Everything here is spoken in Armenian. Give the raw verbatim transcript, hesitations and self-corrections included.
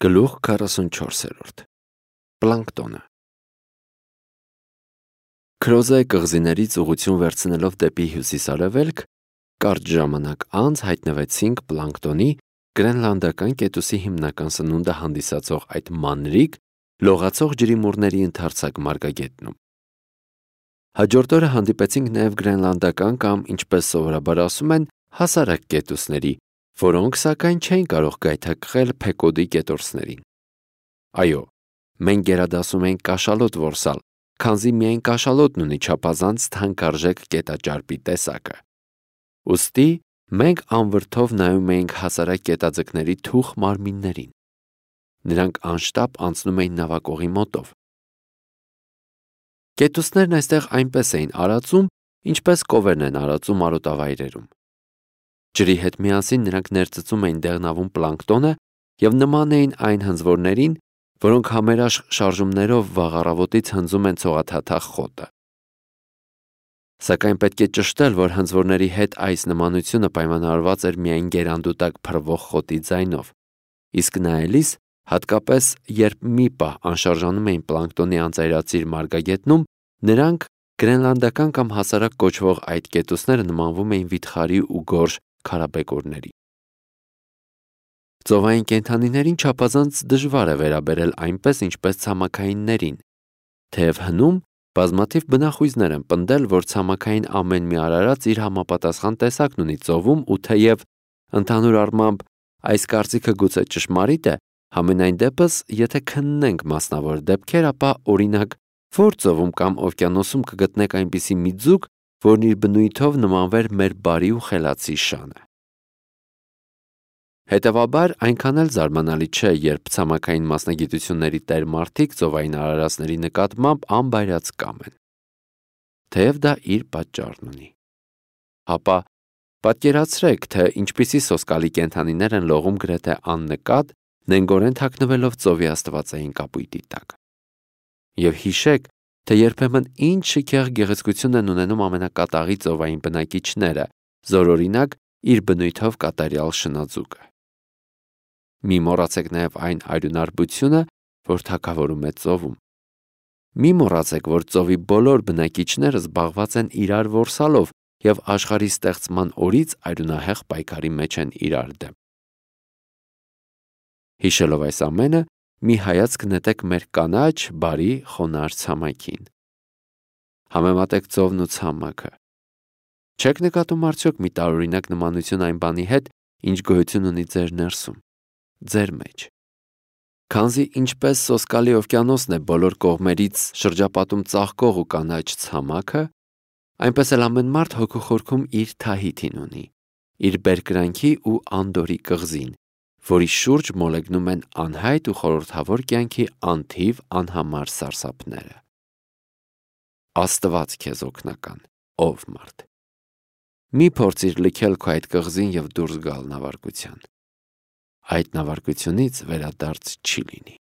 Գլուխ քառասունչորս. Պլանկտոնը։ Քրոզե կղզիներից ուղղություն վերցնելով դեպի հյուսիս-արևելք, կարճ ժամանակ անց հայտնվեցինք պլանկտոնի գրենլանդական կետուսի հիմնական սնունդը հանդիսացող այդ մանրիկ, լողացող ջրիմուռների ընդարձակ մարգագետնում։ Հաջորդ օրը հանդիպեցինք նաև գրենլանդական կամ, ինչպես սովորաբար ասում են, հասարակ կետուսների, որոնք սակայն չէին կարող գայթակղել Փեկոդի կետորսներին։ Այո, մենք գերադասում ենք կաշալոտ որսալ, քանզի միայն կաշալոտն ունի չափազանց թանկարժեք կետաճարպի տեսակը։ Ուստի մենք անվրդով նայում էինք հասարակ կետաձկների թուխ մարմիններին։ Նրանք անշտապ անցնում էին նավակողի մոտով։ Կետուսներն այստեղ այնպես էին արածում, ինչպես կովերն են արածում արոտավայրերում։ Ջրի հետ միասին նրանք ներծծում էին դեղնավուն պլանկտոնը և նման էին այն հնձվորներին, որոնք համերաշխ շարժումներով վաղ առավոտից հնձում են ցողաթաթախ խոտը։ Սակայն պետք է ճշտել, որ հնձվորների հետ այս նմանությունը պայմանավորված էր միայն գերանդու տակ փռվող խոտի ձայնով, իսկ նայելիս, հատկապես երբ մի պահ անշարժանում էին պլանկտոնի անծայրածիր մարգագետնում, նրանք գրենլանդական կամ հասարակ կոչվող այդ կետուսները նմանվում էին վիթխարի ու գորշ քարաբեկորների։ Ծովային կենդանիներին չափազանց դժվար է վերաբերել այնպես, ինչպես ցամաքայիններին, թեև հնում բազմաթիվ բնախույզներ են պնդել, որ ցամաքային ամեն մի արարած իր համապատասխան տեսակն ունի ծովում, ու թեև ընդհանուր առմամբ այս կարծիքը գուցե ճշմարիտ է, համենայն դեպս, եթե քննենք մասնավոր դեպքեր, ապա օրինակ, որ ծովում կամ օվկիանոսում կգտնեք այնպիսի մի ձուկ, որն իր բնույթով նմանվեր մեր բարի ու խելացի շանը։ Հետևաբար, այնքան էլ զարմանալի չէ, երբ ցամաքային մասնագիտությունների տեր մարդիկ ծովային արարածների նկատմամբ անբայրացկամ են։ Թեև դա իր պատճառն ունի։ Հապա պատկերացրեք, թե ինչպիսի սոսկալի կենդանիներ են լողում գրեթե աննկատ, նենգորեն թաքնվելով ծովի աստվածային կապույտի տակ։ Եվ հիշեք, թե երբեմն ինչ շքեղ գեղեցկություն են ունենում ամենակատաղի ծովային բնակիչները, զորօրինակ իր բնույթով կատարյալ շնաձուկը։ Մի մոռացեք նաև այն արյունարբությունը, որ թագավորում է ծովում։ Մի մոռացեք, որ ծովի բոլոր բնակիչները զբաղված են իրար որսալով և աշխարհի ստեղծման օրից արյունահեղ պայքարի մեջ են իրար դեմ։ Հիշելով այս ամենը, մի հայացք նետեք մեր կանաչ, բարի, խոնարհ ցամաքին։ Համեմատեք ծովն ու ցամաքը։ Չեք նկատում արդյոք մի տարօրինակ նմանություն այն բանի հետ, ինչ գոյություն ունի ձեր ներսում, ձեր մեջ։ Քանզի ինչպես սոսկալի օվկիանոսն է բոլոր կողմերից շրջապատում ծաղկող ու կանաչ ցամաքը, այնպես էլ ամեն մարդ հոգու խորքում իր Թահիթին ունի, իր բերկրանքի ու անդորի կղզին, որի շուրջ մոլեգնում են անհայտ ու խորհրդավոր կյանքի անթիվ անհամար սարսափները։ Աստված քեզ օգնական, ով մարդ։ Մի փորձիր լքել քո այդ կղզին և դուրս գալ նավարկության։ Այդ նավարկությունից վերադարձ չի լինի։